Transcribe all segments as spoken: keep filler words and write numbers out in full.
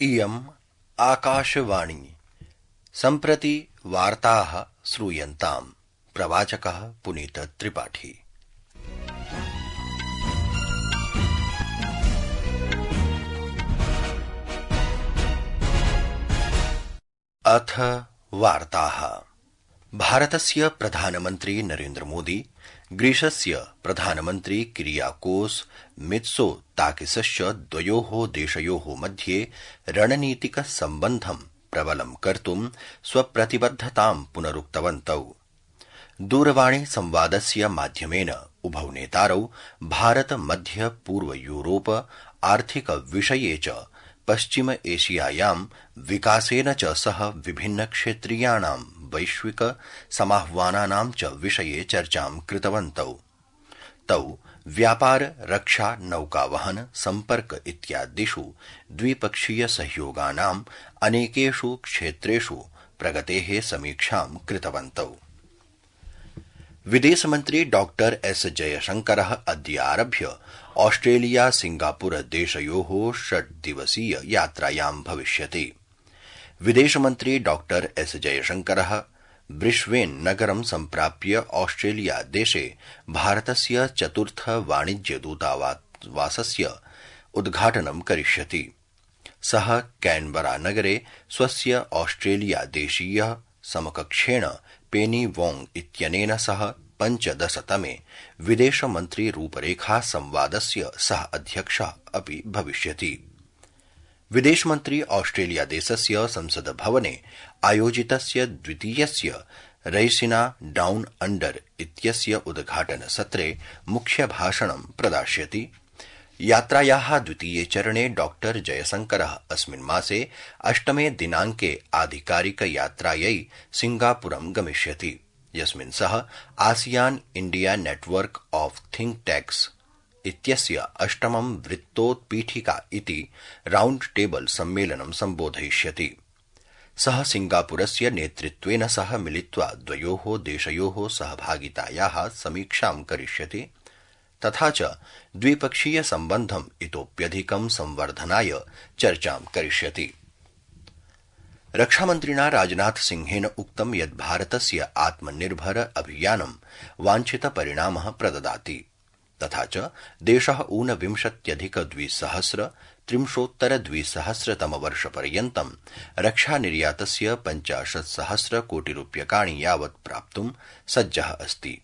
इयम् आकाशवाणी सम्प्रति वार्ताः श्रूयन्ताम्। प्रवाचकः पुनीत त्रिपाठी। अथ वार्ताः। भारतस्य प्रधानमन्त्री नरेन्द्र मोदी ग्रीसस्य प्रधानमन्त्री किरियाकोस मित्सोताकिसश्च द्वयोः देशयोः मध्ये रणनीतिक सम्बन्धं प्रबलं कर्तुं स्वप्रतिबद्धतां पुनरुक्तवन्तौ। दूरवाणी संवादस्य माध्यमेन उभौ नेतारौ भारत मध्य पूर्व यूरोप आर्थिक विषये च पश्चिम एशियायां विकासेन च सह विभिन्न क्षेत्रीयाणां वैश्विक समाह्वानानां च विषये चर्चां कृतवन्तौ। तौ व्यापार, रक्षा, नौकावहन, सम्पर्क इत्यादिषु द्विपक्षीय सहयोगानां अनेकेषु क्षेत्रेषु प्रगतेः समीक्षां कृतवन्तौ। विदेशमन्त्री डॉक्टर एस जयशंकरः अद्य आरभ्य ऑस्ट्रेलिया सिंगापुर देशयोः षड्दिवसीय यात्रायां भविष्यति। विदेशमन्त्री डॉक्टर एस जयशंकरः ब्रिस्बेन नगरं सम्प्राप्य ऑस्ट्रेलिया देशे भारतस्य चतुर्थ वाणिज्य दूतावासस्य उद्घाटनं करिष्यति। सः कैनबरा नगरे स्वस्य ऑस्ट्रेलिया देशीयः समकक्षेण पेनी वोंग इत्यनेन सह पञ्चदशतमे विदेशमन्त्री रूपरेखा संवादस्य सह अध्यक्षः अपि भविष्यति। विदेशमन्त्री ऑस्ट्रेलिया देशस्य संसद भवने आयोजितस्य द्वितीयस्य रैसिना डाउन अंडर इत्यस्य उद्घाटन सत्रे मुख्यभाषणं प्रदास्यति। यात्रायाः द्वितीये चरणे डॉक्टर जयशंकरः अस्मिन् मासे अष्टमे दिनाङ्के आधिकारिक यात्रायै सिंगापुरं गमिष्यति, यस्मिन् सः ASEAN India network of think tanks इत्यस्य अष्टमं वृत्तोत्पीठिका इति राउंड टेबल सम्मेलनं सम्बोधयिष्यति। सः सिंगापुरस्य नेतृत्वेन सह मिलित्वा द्वयोः देशयोः सहभागितायाः समीक्षां करिष्यति, तथा च द्विपक्षीय सम्बन्धम् इतोप्यधिकं संवर्धनाय चर्चां करिष्यति। रक्षामन्त्रिणा राजनाथ सिंहेन उक्तं यत् भारतस्य आत्मनिर्भर अभियानं वाञ्छित परिणामः प्रददाति, तथा च देशः ऊनविंशत्यधिक द्विसहस्र त्रिंशोत्तर द्विसहस्रतमवर्षपर्यन्तं रक्षानिर्यातस्य पञ्चाशत्सहस्र कोटिरूप्यकाणि यावत् प्राप्तुं सज्जः अस्ति।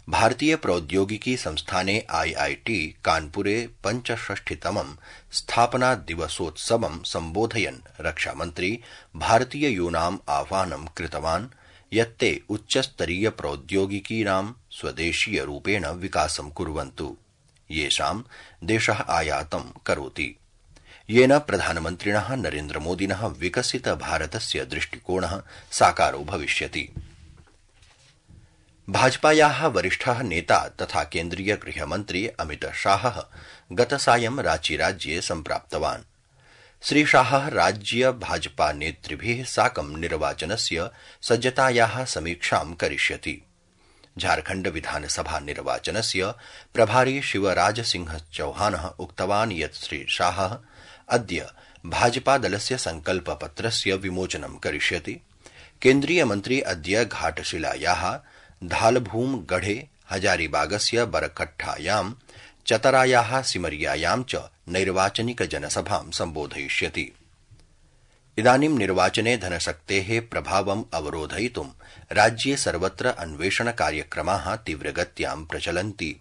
भारतीय प्रौद्योगिकी संस्थाने आईआईटी कानपुरे पञ्चषष्टितमं स्थापना दिवसोत्सवं सम्बोधयन् रक्षामन्त्री भारतीययूनाम् आह्वानं कृतवान् यत् ते उच्चस्तरीय प्रौद्योगिकीनां स्वदेशीय रूपेण विकासं कुर्वन्तु, येषां देशः आयातं करोति, येन प्रधानमन्त्रिणः नरेन्द्रमोदिनः विकसित भारतस्य दृष्टिकोणः साकारो भविष्यति। भाजपायाः वरिष्ठः नेता तथा केन्द्रीय गृहमन्त्री अमित शाहः गतसायं रांचीराज्ये सम्प्राप्तवान्। श्रीशाहः राज्य भाजपा नेतृभिः साकं निर्वाचनस्य सज्जतायाः समीक्षां करिष्यति। झारखण्ड विधानसभा निर्वाचनस्य प्रभारी शिवराज सिंह चौहानः उक्तवान् यत् श्रीशाहः अद्य भाजपादलस्य संकल्पपत्रस्य विमोचनं करिष्यति। केन्द्रीयमन्त्री अद्य घाटशिलायाः धालभूम गढ़े हजारीबागस्य बरकट्ठायां चतरायाः सिमरियायां च नैर्वाचनिक जनसभां सम्बोधयिष्यति। इदानीं निर्वाचने धनशक्तेः प्रभावम् अवरोधयितुं राज्ये सर्वत्र अन्वेषण कार्यक्रमाः तीव्रगत्यां प्रचलन्ति।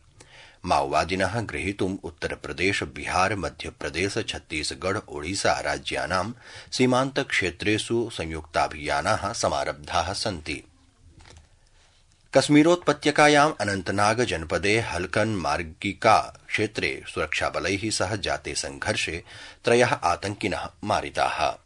माओवादिनः ग्रहीतुम् उत्तरप्रदेश, बिहार, मध्यप्रदेश, छत्तीसगढ़, ओडिशा राज्यानां सीमान्तक्षेत्रेषु संयुक्ताभियानाः समारब्धाः सन्ति। कश्मीरोत्पत्यकायाम् अनन्तनाग जनपदे हल्कन मार्गिका क्षेत्रे सुरक्षाबलैः सह जाते संघर्षे त्रयः आतंकिनः मारिताः।